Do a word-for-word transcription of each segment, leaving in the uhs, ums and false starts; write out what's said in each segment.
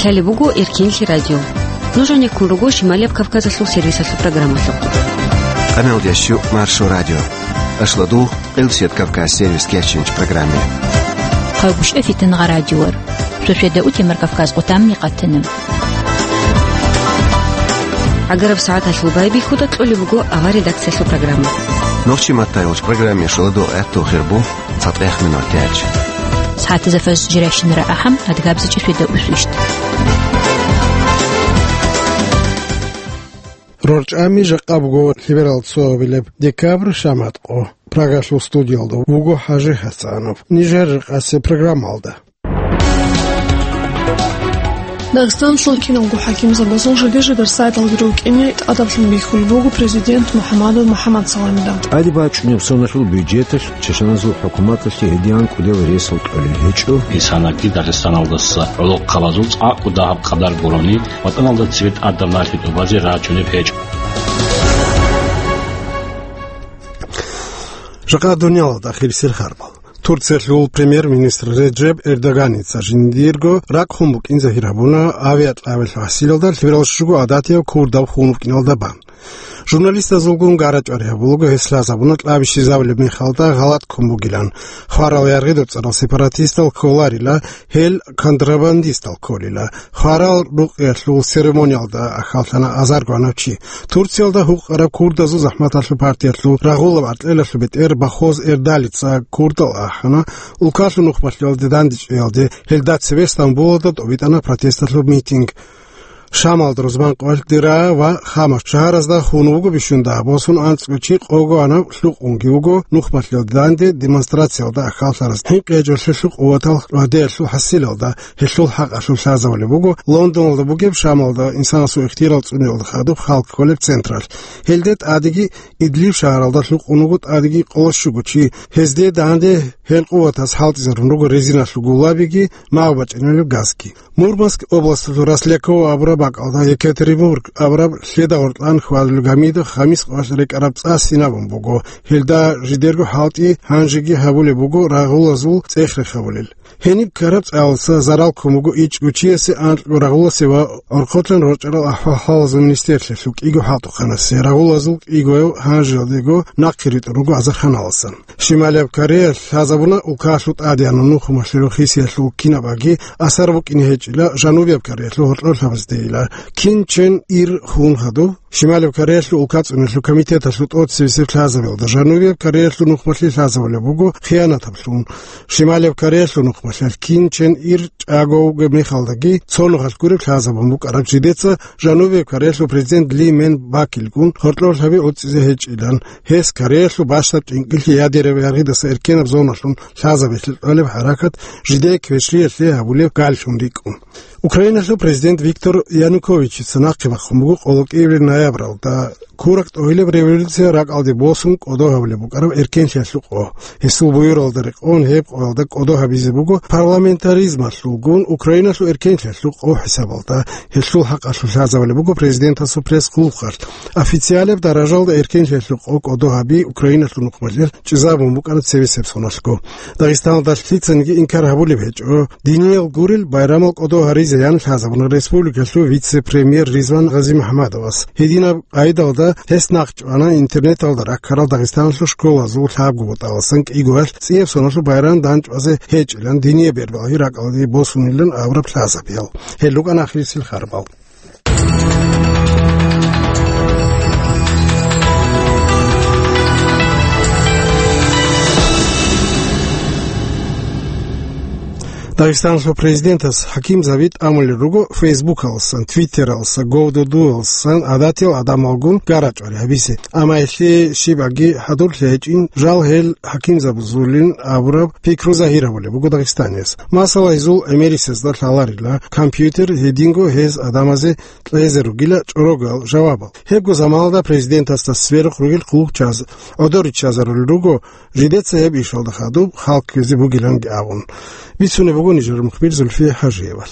Лъалеб буго Эркенлъи радио. Нуж гьанеккун руго Шималияб Кавказалъул сервисалъул программалъухъ. Къамелдящу Маршо радио. Ашладу Къилсият Кавказ сервис кечинч программе. Хъалгушев Фитнагъа радиор. Сосведа утемар Кавказ къутамни къатана. ГӀагараб сагӀаталъул байбихьуда кьолеб буго авар редакциялъул программа. Нохчи маттайолч программе шуладу гӀерту хирбу цатӀех минут яч. СагӀатазафас жиращинара ахӀам адгабзичӀи светда усвищт. РорчӀами жакъа буго лъиберал цоабилеб декабрь шаматкъо. Прагалъул студиялда вуго ХӀажи ХӀасанов. Нижер рекъасе программалда. Дагъистаналъул киналго хӀакимзабазул жиде-жидер сайталги рукӀине тӀадаблъун бихьулеб буго президент МухӀаммадов МухӀаммад Саламида. ТӀаде бачӀунеб соналъул бюджеталъ чачаназул хӀукуматалъе гьедигӀан кӀудиял ресал кьолел гьечӀо. Исанаги Дагъистаналдаса гӀолохъабазул цӀакъго дагьаб къадар гурони, ватӀаналда цебе тӀадаб налъи тӀубазе рачӀунеб гьечӀо. Жакъа дуниялалда ахирисел харбал. Турциялъул премьер-министр Реджеп Эрдоганица жиндирго ракӀ хун букӀин загьир гьабуна авиакьабилъ гьасилалда лъиберал щуго гӀадатияв курдав хун вукӀиналда бан. Журналистазулгун гара-чӀвари гьабулаго гьес лъазабуна кьабищизабулеб мехалда гъалатӀ ккун бугилан. Хварал яргъидур цӀарал сепаратистал кколарила, гьел контрабандистал кколила. Хварал рукъиялъул церемониялда ахьаллъана азарго гьанав чи. Турциялда гьукъараб курдазул захӀматалъул партиялъул рагъулаб гӀаркьелалъул бетӀер Бахоз Эрдалица курдал ахӀана, улкалъул нухмалъиялде дандечӀеялде, гьелда цебе Стамбулалда тӀобитӀана протесталъул митинг. Шамалда рузман къоялъ Дира ва Хама шагьаразда хун вуго бищунда босун анцӀго чи, къого гьанав лъукъунги вуго нухмалъиялде данде демонстрациялда ахьаллъараз. ХӀинкъи гьечӀолъелъул къуватал ва деялъул хӀасилалда гьелъул хӀакъалъулъ лъазабулеб буго Лондоналда бугеб Шамалда инсанасул ихтияр цӀуниялда хадуб халкъ кколеб централъ. Гьелде тӀадеги Идлиб шагьаралда лъукъун вуго тӀадеги къоло щуго чи. Гьезде данде гьел къуватаз хӀалтӀизарун руго резиналъул гулабиги, магӀу бачӀинаб газги. Мурманск областалъул Росляково абураб бакӀалда Екатеринбург абураб лъеда гъоркьан хьвадулеб гамида хамис къоялъ рекӀараб цӀа синабун буго. Гьелда жидерго хӀалтӀи гьанжеги гьабулеб буго рагъулазул цӀех-рех гьабулел. Гьениб ккараб цӀалуца зарал ккун буго ичӀго чиясе, анкьго рагъуласе ва гӀорхъолъан рорчӀарал ахӀвал-хӀалалазул министрлъиялъул кӀиго хӀалтӀухъанасе, рагъулазул кӀигояв гьанжеялдего нахъе ритӀун руго азарханаласан. Шималияб Кореялъ лъазабуна улкалъул тӀадегӀанав нухмалъиялъул хисиялъул кинабаги асар букӀине гьечӀила Жанубияб Кореялъул гьоркьорлъабаздейила Кин Чен Ир хун хадуб. Шималияб Кореялъул улка цӀунулъул комитеталъул тӀоцебесеб лъазабиялда Жанубияб Кореялъул нухмалъи лъазабулеб буго хиянатаблъун. Шималияб Кореялъул нухмалъиялъ Кин Чен Ир чӀаго вугеб мехалдаги цо нухалъ гуреб лъазабун букӀараб жидеца Жанубияб Кореялъул президент Ли Мен Бакилгун гьоркьорлъаби гӀуцӀизе гьечӀилан, гьес Кореялъул бащдаб тӀинкӀлъи ядераб яргъидаса эркенаб зоналъун лъазабиялъе кьолеб хӀаракат жидее квешлъиялъе гьабулеб галлъун рикӀкӀун. Украиналъул президент Виктор Януковичица нахъе бахъун буго къоло кӀиабилеб ноябралда куракь тӀогьилеб революция ракӀалде босун кӀодо гьабулеб букӀараб эркенлъиялъул къо. Гьесул буюралда рекъон гьеб къоялда кӀодо гьабизе буго парламентаризмалъулгун Украиналъул эркенлъиялъул къо хӀисабалда. Гьелъул хӀакъалъулъ лъазабулеб буго президентасул пресс-хъулухъалъ. Официалеб даражалда эркенлъиялъул къо кӀодо гьаби Украиналъул нухмалъиялъ чӀезабун букӀана цебесеб соналъго. Дагъистаналда лъицаниги инкар гьабулеб гьечӀо, диниял гурел байрамал кӀодо гьаризе ян лъазабуна республикалъул вице-премьер Ризван Гъазимахмадовас. Гьединаб къайдалда гьес нахъчӀвана интернеталда раккарал Дагъистаналъул школазул лъабго бутӀаласан кӀигоялъ цӀияб соналъул байрам данчӀвазе гьечӀилан, динияб бербалги ракӀалде босунилан абураб лъазабиял. Гьел рукӀана ахирисел харбал. Дагъистаналъул президентас хӀакимзаби тӀамулел руго Фейсбукаласан, Твиттераласан, Гов Ду Дуяласан гӀадатиял гӀадамалгун гара-чӀвари гьабизе. Амма гьелъие щибаги хӀадурлъи гьечӀин, жал гьел хӀакимзабазулин абураб пикру загьир гьабулеб буго дагъистанияс. Масала, гьезул гӀемерисезда лъаларила компьютер, гьединго гьез гӀадамазе кьезе ругила чӀорогал жавабал. Гьебго заманалда президентасда сверухъ ругел хъулухъчияз гӀодор риччазарулел руго, жидеца гьеб ишалда хадуб халкъ ккезе бугиланги абун. Бицунеб буго нижер мухбир Зульфия ХӀажиевал.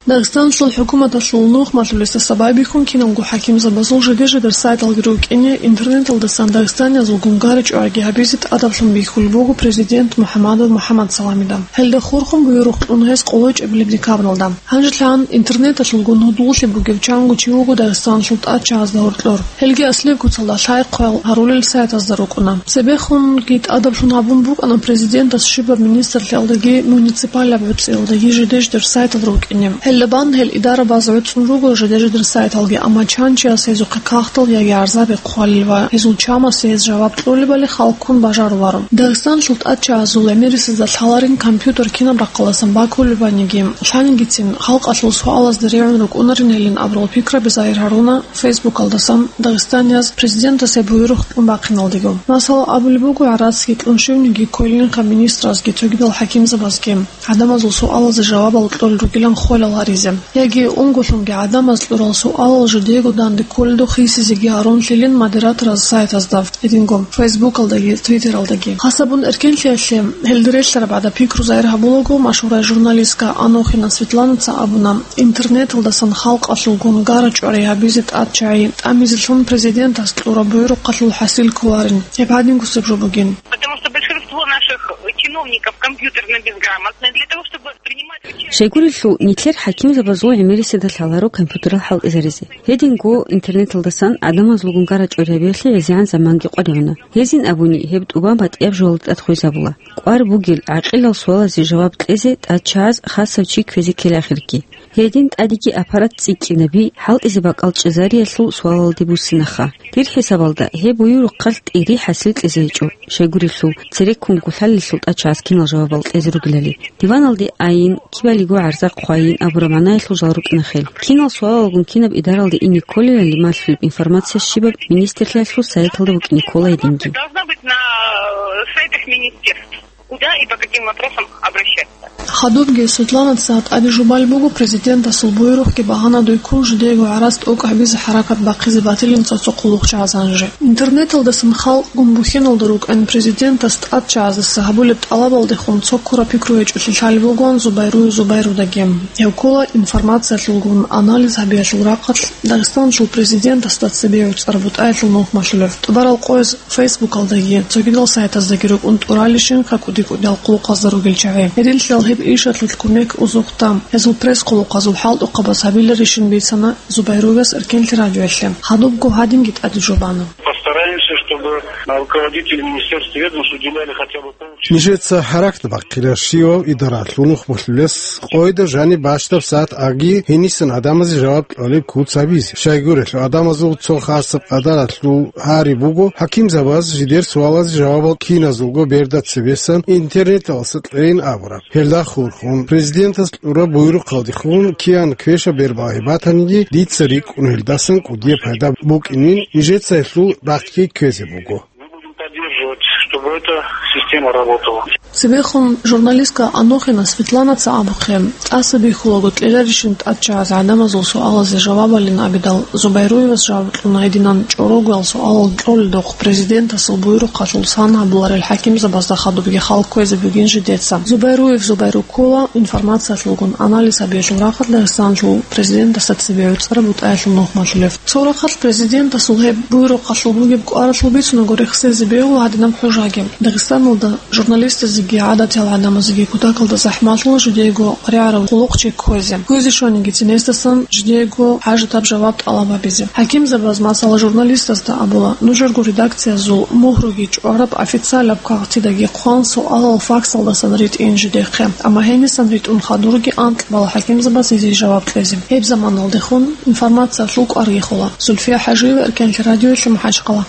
Дагъистаналъул хӀукуматалъул нухмалъулесда сабаб бихьун киналго хӀакимзабазул жиде-жидер сайталги рукӀине интернеталдасан дагъистаниязул гунгаричӀоги гьабизе тӀадаблъун бихьулеб буго президент МухӀаммадов МухӀаммадсаламида. Гьелда хурхун буюрухъ кьун гьес къоло чӀебилеб декабралда. Гьанжелъан интернеталъулгун гьудуллъи бугев чанго чи вуго Дагъистаналъул тӀадчагӀазда гьоркьор. Гьелги аслияб куцалда лъай-хъвай гьарулел сайтазда рукӀуна. Цебехунги тӀадаблъун гьабун букӀана президентас щибаб министрлъиялдаги муниципалаб гӀуцӀиялдаги жиде-жидер сайтал рукӀине. Гьелда бан гьел идарабаз гӀуцӀун руго жиде-жидер сайталги, амма чан чияс гьезухъе кагътал яги гӀарзаби хъвалел ва гьезул чамасе гьез жаваб кьолебали халккун бажаруларо. Дагъистаналъул тӀадчагӀазул гӀемерисезда лъаларин компьютер кинаб рахъалдасан бакулеб баниги, лъанигицин халкъалъул суалазда регӀун рукӀунарин гьелин абурал пикраби загьир гьаруна Фейсбукалдасан дагъистанияз президентасе буюрухъ кьун бахъиналдего. Масала, абулеб буго, гӀарацги кьун щивниги кколинха министразги цогидал хӀакимзабазги гӀадамазул суалазе жавабал кьолел ругилан хвалал гьаризе. Яги унголъунги гӀадамаз кьурал суалал жидего данде кколелдухъ хисизеги гьарун лъилин модератораз сайтазда, гьединго Фейсбукалдаги, Твиттералдаги. Хасабун эркенлъиялъе гьелда релълъараб гӀадаб пикру загьир гьабулаго, машгьурай журналистка Анохина Светланаца абуна, интернеталдасан халкъалъулгун гара-чӀвари гьабизе тӀадчагӀи тӀамизелъун президентас кьураб буюрухъалъул хӀасил кколарин. Гьеб гьадингусеб жо бугин. Потому что большинство наших чиновников компьютерно безграмотны. Для того, чтобы принимать участие... Щайгурелъул нилъер хӀакимзабазул гӀемерисезда лъаларо компьютерал хӀалтӀизаризе. Гьединго интернеталдасан гӀадамазулгун гара-чӀвари гьабиялъе гӀезегӀан заманги къваригӀуна. Гьезин абуни, гьеб тӀубан батӀияб жоялда тӀад хвезабула. КӀвар бугел, гӀакъилал суалазе жаваб кьезе тӀадчагӀаз хасав чи кквезе ккела ахирги. Гьедин тӀадеги аппарат цӀикӀкӀинаби, хӀалтӀизе бакӀал чӀезариялъул суалалде буссинаха. Дир хӀисабалда, гьеб буюрухъалъ тӀири хӀасил кьезе гьечӀо, щайгурелъул, цереккун гулъалелъул тӀадчагӀаз кинал жавабал кьезе ругелали. Диваналде айин, кибалиго гӀарза хъвайин абураб магӀнаялъул жал рукӀина хел. Кинал суалалгун кинаб идаралде ине кколелали малъулеб информация щибаб министрлъиялъул сайталда букӀине ккола гьединги. Должна быть на, э, сайтах министерств. Куда и по каким вопросам обращаться? Хадубги Светланаца тӀаде жубалеб буго президентасул буюрухъги багьанадуй ккун жидеего гӀарац тӀокӀ гьабизе хӀаракат бахъизе батилин цо-цо хъулухъчагӀаз гьанже. Интернеталдасан халкъгун бухьиналда рукӀин президентас тӀадчагӀаздаса гьабулеб тӀалабалдехун цо ккураб пикру гьечӀолъи лъалеб бугоан Зубайруев Зубайрудаги. Гьев ккола информациялъулгун анализ гьабиялъул рахъалъ Дагъистаналъул президентасда цебе гӀуцӀараб бутӀаялъул нухмалъулев. ТӀубарал къояз Фейсбукалдаги, цогидал сайтаздаги рукӀун тӀуралищинха кӀуди-кӀудиял хъулухъазда ругел чагӀи. Гьединлъидал гьеб ишалъулъ кумек узухъда, гьезул пресс-хъулухъазул хӀалтӀухъабаз гьабиларищин бицана Зубайруевас эркенлъи радиоялъе. Хадубго гьадинги тӀаде жубана. Постараемся, чтобы руководители министерств и ведомств уделяли хотя бы полчаса. Нижеца хӀаракат бахъила щивав идаралъул нухмалъулес къойда жаниб бащдаб сагӀат аги гьенисан гӀадамазе жаваб кьолеб куц гьабизе. Щайгурелъул, гӀадамазул цо хасаб къадаралъул гьари буго, хӀакимзабаз жидер суалазе жавабал киназулго берда цебесан интернеталдаса кьейин абураб. Гьелда хурхун, президентас кьураб буйрухъалдехун киян квеша бербагьи батаниги, дица рикӀкӀун гьелдасан кӀудияб пайда букӀинин, нижеца гьелъул рахъги кквезе буго. Мы будем поддерживать, чтобы эта система работала. Цебехун журналистка Анохина Светланаца абухъе, тӀаса бихьулаго кьеларищин тӀадчагӀаз гӀадамазул суалазе жавабалин абидал, Зубайруевас жаваб кьуна гьединан чӀорогоял суалал кьолелдухъ президентасул буйрухъалъул сан гьабуларел хӀакимзабазда хадубги хал кквезе бугин жидеца. Зубайруев Зубайру ккола информациялъулгун анализ гьабиялъул рахъалъ Дагъистаналъул президентасда цебе гӀуцӀараб бутӀаялъул нухмалъулев. Цо рахъалъ президентасул гьеб буйрухъалъул бугеб кӀваралъул бицунаго рехсезе бегьула гьадинаб хӀужаги. Дагъистаналда журналистазеги гӀадатиял гӀадамазеги кутакалда захӀмалъула жидеего рагӀараб хъулухъчи кквезе. Кквезе щванигицин гьесдасан жидеего хӀажатаб жаваб тӀалаб гьабизе. ХӀакимзабаз, масала, журналистазда абула, нужерго редакциязул мугьруги чӀвараб официалаб кагътидаги хъван суалал факсалдасан ритӀин жидехъе. Амма гьенисан ритӀун хадурги анкь бала хӀакимзабаз гьезие жаваб кьезе. Гьеб заманалдехун информациялъул кӀварги хола. Зульфия ХӀажиева, Эркенлъи радиоялъе, МахӀачхъала.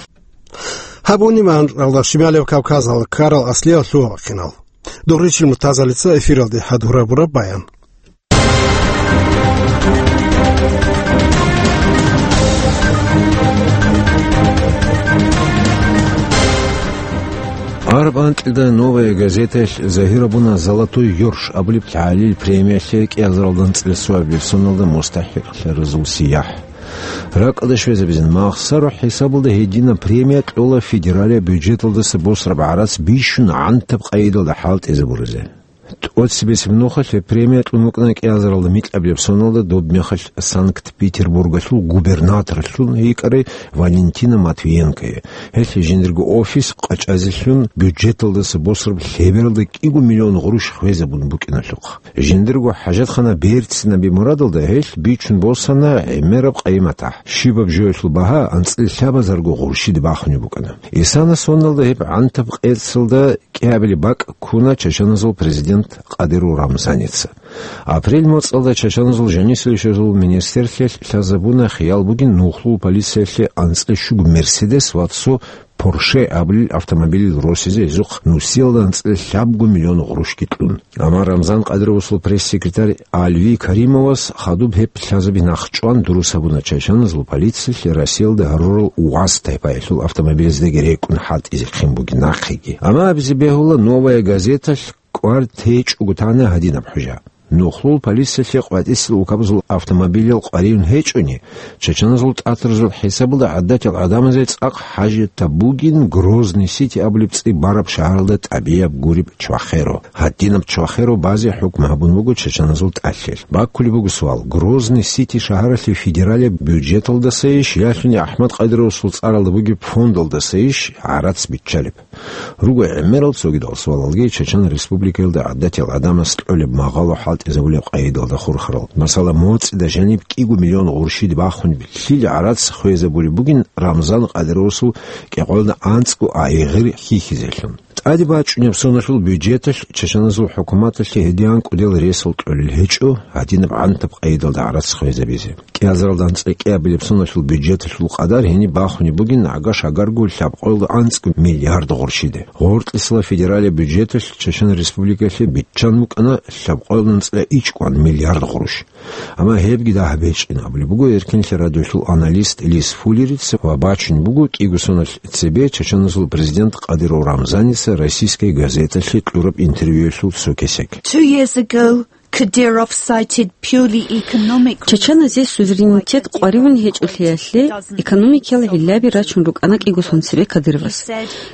Гьабуни ман ралда Шималев Кавказалда ккарал аслиял лъугьа-бахъинал. Дурричил Муртазалица эфиралде хӀадурабураб баян. Араб анкьида «Новая газеталъ» загьирабуна «Золотой ёрш» абулеб лъагӀалил премиялъе кӀиазаралда анцӀила соабилеб соналда мустахӀикълъаразул сияхӀ. Ракъалда щвезабизин, махсарухӀ хӀисабалда гьединаб премия кьола федералияб бюджеталдаса босараб гӀарац бищун гӀантаб къайдалда хӀалтӀизабуризе. ТӀоцебесеб нухалъ гьеб премия кьун букӀана кӀиазаралда микьабилеб соналда доб мехалъ Санкт-Петербургалъул губернаторлъун йикӀарай Валентина Матвиенкое. Гьелъ жиндирго офис къачӀазелъун бюджеталдаса босараб лъебералда кӀиго миллион гъурущ хвезабун букӀиналъухъ. Жиндирго хӀажатхана берцинаби мурадалда гьелъ бичун босана гӀемераб къайи-матахӀ. Щибаб жоялъул багьа анцӀила лъабазарго гъурщиде бахунеб букӀана. Исана соналда гьеб гӀантаб къецалда кӀиабилеб бакӀ ккуна чачаназул президент Кадыров Рамзаница. Апрель моцӀалда чачаназул жанисел щвезул министрлъиялъ лъазабуна хиял бугин нухлул полициялъе анцӀила щуго Мерседес ва цо Порше абулел автомобилил росизе гьезухъ нусиялда анцӀила лъабго миллион гъурущги кьун. Амма Рамзан Кадыровасул пресс-секретарь Альви Каримовас хадуб гьеб лъазаби нахъчӀван дурус гьабуна чачаназул полициялъе Россиялда гьарурал УАЗ тайпаялъул автомобилаздаги рекӀун хӀалтӀизехъин бугин нахъеги. Амма абизе бегьула «Новая газеталъ» кӀвар течӀого тана гьадинаб хӀужа. Нухлул полициялъе къватӀисел улкабазул автомобилал къваригӀун гьечӀони, чачаназул тӀатаразул хӀисабалда гӀадатил гӀадамазе цӀакъ хӀажатаб бугин Грозный Сити абулеб цӀи бараб шагьаралда тӀабияб гуреб чвахеро. Гьадинаб чвахеро базе хӀукму гьабун буго чачаназул тӀалъел. Баккулеб буго суал: Грозный Сити шагьаралъе федералияб бюджеталдасайищ, ялъуни АхӀмад Кадыровасул цӀаралда бугеб фондалдасайищ гӀарац биччалеб? Руго гӀемерал цогидал суалалги. Чачан Республикаялда гӀадатил гӀадамас кьолеб магъало хӀалтӀизабулеб къайдалда хурхарал. Масала, моцӀида жаниб кӀиго миллион гъурщиде бахунеб лъил гӀарац хвезабулеб бугин Рамзан Кадыровасул кӀикъоялда анцӀго айгъир хьихьизелъун. ТӀаде бачӀунеб соналъул бюджеталъ чачаназул хӀукуматалъе гьедин кӀудиял ресал кьолел гьечӀо гьадинаб гӀантаб къайдалда гӀарац хвезабизе. КӀиазаралда анцӀила кӀиабилеб соналъул бюджеталъул къадар гьениб бахунеб бугин гӀага-шагарго лъабкъоялда анцӀго миллиард гъурщиде. Гъоркьисела федералияб бюджеталъ Чачан Республикалъе биччан букӀана лъабкъоялда анцӀила ичӀкӀван миллиард гъурущ. Амма гьебги дагьаб гьечӀин абулеб буго Эркенлъи радиолъул аналист Лис Фуллерица ва бачун буго кӀиго соналъ цебе чачаназул президент Кадыров Рамзаница «Российская газеталъе» кьураб интервьюялъул цо кесек. Two years ago, Kadyrov cited purely economic Чачаназе суверенитет къваригӀун гьечӀолъиялъе экономикиял гӀиллаби рачун рукӀана кӀиго сон цебе Кадыровас.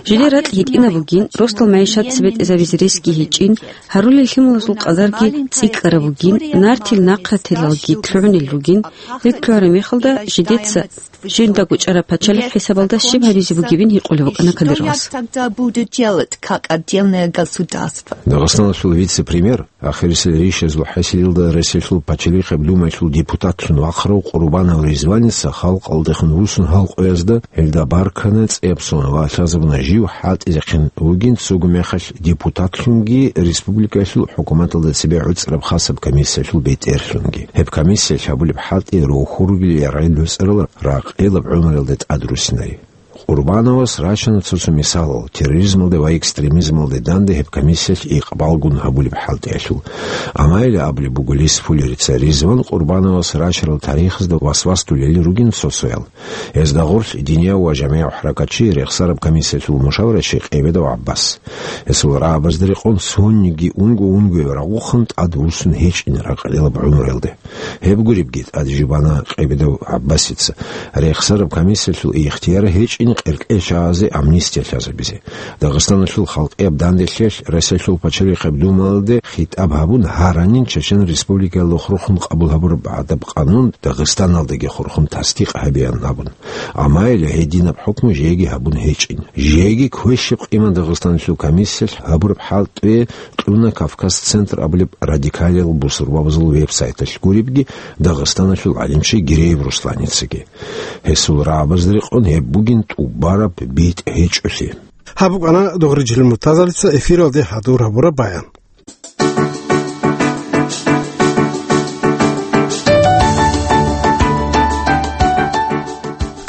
Жили ракь гьитӀинаб бугин, росдал магӀишат цебетӀезабизе ресги гьечӀин, гьарулел лъималазул къадарги цӀикӀкӀараб бугин, нартил нахъратилалги лъугӀунел ругин, гьеб лъугӀараб мехалда жидеца жиндаго чӀараб пачалихъ хӀисабалда щиб гьабизе бугебин гьикъулеб букӀана Кадыровас. Что я тогда буду делать как отдельное государство? Дагъистаналъул вице-премьер, ахирисел ришазул хӀасилалда Россиялъул Пачалихъеб Думаялъул депутатлъун вахъарав Къурбанов Ризваница халкъалдехун вуссун гьал къоязда гьелда баркана цӀияб сон ва лъазабуна жив хӀалтӀизехъин вугин цого мехалъ депутатлъунги республикаялъул хӀукуматалда цебе гӀуцӀараб хасаб комиссиялъул бетӀерлъунги. Гьеб комиссиялъ гьабулеб хӀалтӀи рохьургил яргъи доцӀарал ракъилаб гӀумруялда тӀадруссинари. Къурбановас рачана цо-цо мисалал терроризмалде ва экстремизмалде данде гьеб комиссиялъ икъбалгун гьабулеб хӀалтӀиялъул. Амма гьеле абулеб буго Лис Фуллерица, Ризван Къурбановас рачарал тарихазда васвас тулелин ругин цо-цоял. Гьезда гъорлъ динияв ва жамигӀав хӀаракатчи, рехсараб комиссиялъул мушаврачи Къебедов ГӀаббас. Гьесул рагӀабазда рекъон цониги унго-унгояв рагъухъан тӀад вуссун гьечӀин ракъилаб гӀумруялде. Гьеб гуребги тӀад жубана Къебедов ГӀаббасица, рехсараб комиссиялъул ихтияр гьечӀин къеркьечагӀазе амнистия лъазабизе. Дагъистаналъул халкъияб данделъиялъ Россиялъул Пачалихъеб Думаялде хитӀаб гьабун гьаранин Чечен Республикаялда хурхун къабул гьабураб гӀадаб къанун Дагъистаналдаги хурхун тасдикъ гьабеян абун. Амма гьеле гьединаб хӀукму жеги гьабун гьечӀин. Жеги квешаб къиман Дагъистаналъул комиссиялъ гьабураб хӀалтӀи кьуна Кавказ-центр абулеб радикалиял бусурбабазул веб-сайталъ гуребги, Дагъистаналъул гӀалимчи Гиреев Русланицаги. Гьесул рагӀабазда рекъон гьеб бугин тӀубараб битӀ гьечӀолъи. Гьаб букӀана Дугърижилил Муртазалица эфиралде хӀадур гьабураб баян.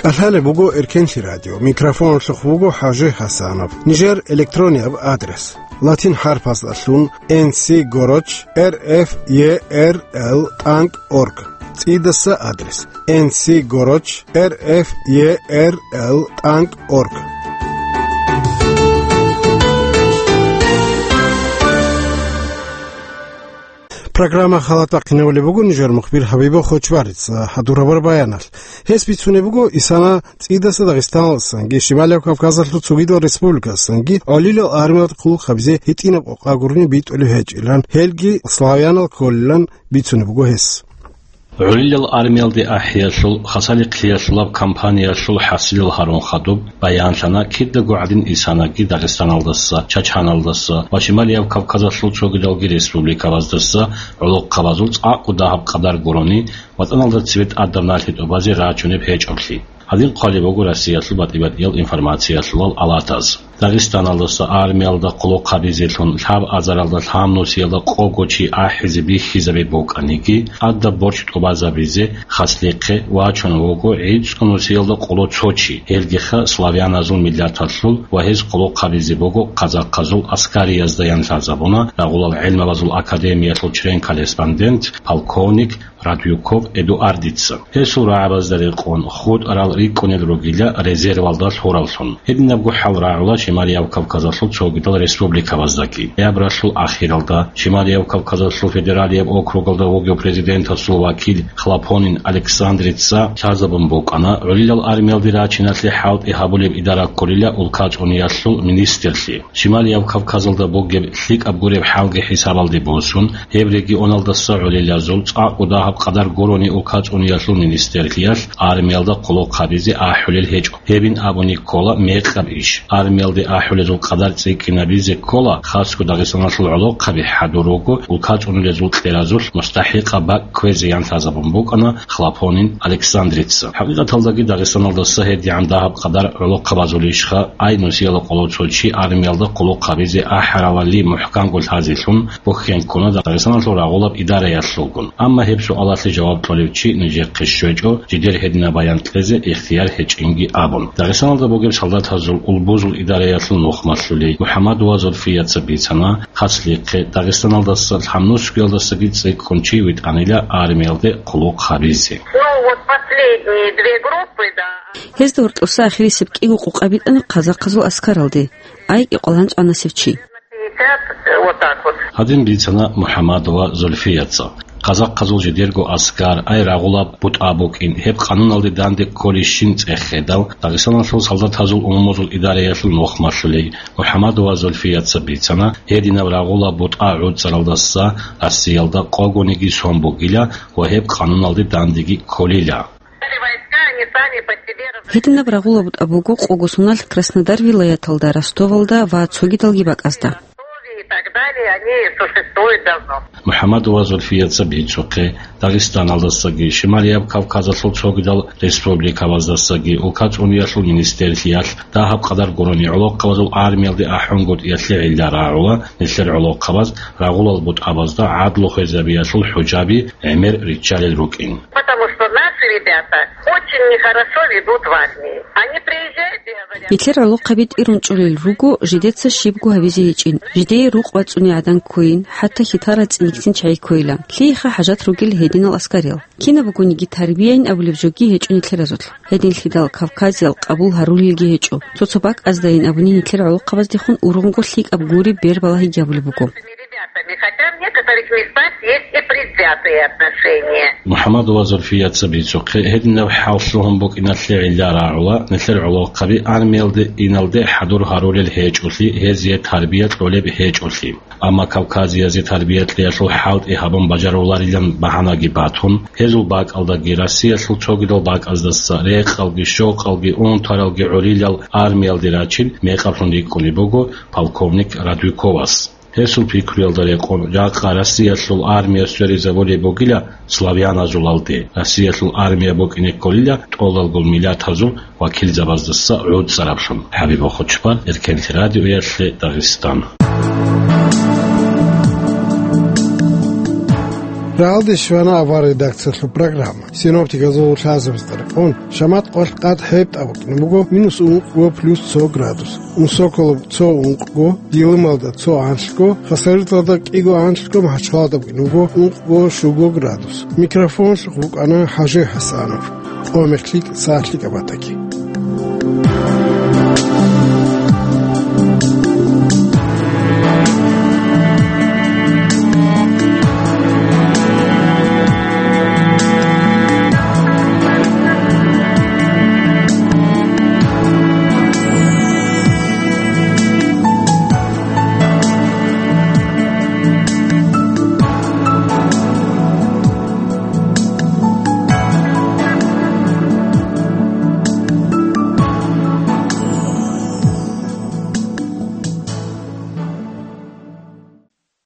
КӀалъалеб буго Эркенлъи радио. Микрофоналъухъ вуго ХӀажи ХӀасанов. Нижер электронияб адрес: латин хӀарпаздалъун N C горочь R F E R L тӀанкӀ орг. ЦӀидаса адрес: N C горочь R F E R L тӀанкӀ орг. Программа халатахъинавулеб буго нижер мухбир Хабибов Хочбарица гьадураб баяналъ. Гьес бицунеб буго исана цӀидаса Дагъистаналдасанги Шималияб Кавказалъул цогидал республикасанги гӀолилал армиялда хъулухъ гьабизе гьитӀинаб къокъа гурони битӀулеб гьечӀилан, гьелги славянал кколилан бицунеб буго гьес. ГӀолилал армиялде ахӀиялъул, хасалихълъиялъулаб кампаниялъул хӀасилал гьарун хадуб баянлъана кидаго гӀадин исанаги Дагъистаналдаса, Чачаналдаса ва Шималияб Кавказалъул цогидалги республикабаздаса гӀолохъабазул цӀакъго дагьаб къадар гурони ватӀаналда цебе тӀадаб налъи тӀубазе рачунеб гьечӀоблъи. Гьадин хъвалеб буго Россиялъул батӀи-батӀиял информациялъулал алатаз. Дагъистаналдаса армиялда хъулухъ гьабизелъун лъабазаралда лъабнусиялда къого чи ахӀизе бихьизаби букӀаниги, тӀадаб борчӀ тӀубазабизе хаслихъе вачун вуго гӀицӀго нусиялда къоло цо чи, гьелгиха славяназул миллаталъул ва гьез хъулухъ гьабизе буго казахъазул аскариязда, ян лъазабуна рагъулал гӀелмабазул академиялъул член-корреспондент, полковник Радюков Эдуардица. Гьесул рагӀабазда рекъон хутӀарал рикӀкӀунел ругила резервалда лъуравлъун. Гьединабго хӀал рагӀула Шималияб Кавказалъул цогидал республикабаздаги. Ноябралъул ахиралда Шималияб Кавказалъул федералияб округалда вугев президентасул вакил Хлопонин Александрица лъазабун букӀана гӀолилал армиялде рачиналъе хӀалтӀи гьабулеб идара кколила улкацӀуниялъул министрлъи. Шималияб Кавказалда бугеб лъикӀаб гуреб хӀалги хӀисабалде босун, гьеб регионалдаса гӀолилазул цӀакъго дагьаб къадар гурони улкацӀуниялъул министрлъиялъ армиялда хъулухъ гьабизе ахӀулел гьечӀо. Гьебин абуни ккола мекъаб иш. Армиялде ахӀулезул къадар цӀикӀкӀинабизе ккола, хасго Дагъистаналъул гӀолохъаби хӀадур руго улкацӀуниязул кьеразулъ мустахӀикъаб бакӀ кквезе, ян лъазабун букӀана Хлопонин Александрица. ХӀакъикъаталдаги Дагъистаналдаса гьедигӀан дагьаб къадар гӀолохъабазулищха, ай нусиялда къоло цо чи армиялда хъулухъ гьабизе ахӀаралали мухӀканго лъазелъун бухьен ккуна Дагъистаналъул рагъулаб идараялъулгун. Амма гьеб суалалъе жаваб кьолев чи нижехъе щвечӀо, жидер гьединаб баян кьезе ихтияр гьечӀинги абун. Дагъистаналда бугеб солдатазул улбузул идараялъул нухмалъулей МухӀаммадова Зульфияца бицана, хаслихъе Дагъистаналдаса лъабнусиялдасаги цӀикӀкӀун чи витӀанила армиялде хъулухъ гьабизе. Ну, вот последние две группы, да. Гьезда гьоркьоса ахирисеб кӀиго къокъа битӀана казахъазул аскаралде, ай кӀикъоялда гӀанасев чи. Пятьдесят, вот так вот. Гьадин бицана МухӀаммадова Зульфияца. Казахъазул жидерго аскар, ай рагъулаб бутӀа букӀин, гьеб къануналде данде кколищин цӀехедал, Дагъистаналъул солдатазул умумузул идараялъул нухмалъулей МухӀаммадова Зульфияца бицана, гьединаб рагъулаб бутӀа гӀуцӀаралдаса Россиялда къогониги сон бугила ва гьеб къануналде дандеги кколила. Гьединаб рагъула бутӀа буго къого соналъ Краснодар вилаяталда, Ростовалда ва цогидалги бакӀазда. И так далее, они существуют давно. МухӀаммадова Зульфияца бицухъе, Дагъистаналдасаги, Шималияб Кавказалъул цогидал республикабаздасаги улкацӀуниялъул министрлъиялъ дагьаб къадар гурони гӀолохъабазул армиялде ахӀунгутӀиялъе гӀилла рагӀула, нилъер гӀолохъабаз рагъулал бутӀабазда гӀадлу хвезабиялъул хӀужаби гӀемер риччалел рукӀин. Потому что наши ребята очень нехорошо ведут в армии. Они приезжают и говорят: Нилъер гӀолохъаби тӀирун чӀолел руго, жидеца щибго гьабизе гьечӀин, жидее рукъ бацӀцӀуни гӀадан ккойин, хӀатта хьитарал цӀиникцин чагӀи ккойилан. Лъиеха хӀажат ругел гьединал аскариял. Кинаб бугониги тарбияйин абулеб жоги гьечӀо нилъеразулъ. Гьединлъидал Кавказиял къабул гьарулелги гьечӀо. Цо-цо бакӀаздайин абуни нилъер гӀолохъабаздехун ургъунго лъикӀаб гуреб бер балагьиги гьабулеб буго. Ребятами, хотя в некоторых местах есть и предвзятые отношения. МухӀаммадова Зульфияца бицухъе, гьединаб хӀал лъугьун букӀиналъе гӀилла рагӀула, нилъер гӀолохъаби армиялде иналде хӀадур гьарулел гьечӀолъи, гьезие тарбия кьолеб гьечӀолъи. Амма Кавказиязе тарбия кьеялъул хӀалтӀи гьабун бажаруларилан багьанаги батун, гьезул бакӀалдаги Россиялъул цогидал бакӀаздаса рекъалги, щокъалги, унтаралги гӀолилал армиялде рачил мекъаблъун рикӀкӀунеб буго полковник Радуйковас. Гьесул пикруялда рекъон, жакъа Россиялъул армия сверизабулеб бугила славяназулалде. Россиялъул армия букӀине кколила тӀолалгун миллатазул вакилзабаздаса гӀуцӀараблъун. ХӀабиб Хучбан, Эркенлъи радиоялъе, Дагъистан. Рагьалде щвана авар редакциялъул программа. Синоптиказул лъазабазда рекъон, шамат къвалъ къад хӀеб тӀа букӀине буго минус ункъго плюс цо градус. Унсоколоб цо ункъго, Дилималда цо анлъго, Хасавюрталда кӀиго анлъго, МахӀачхъалада букӀине буго ункъго щуго градус. Микрофон вукӀана ХӀажи ХӀасанов. Къомехлъи сахлъи кабатаки.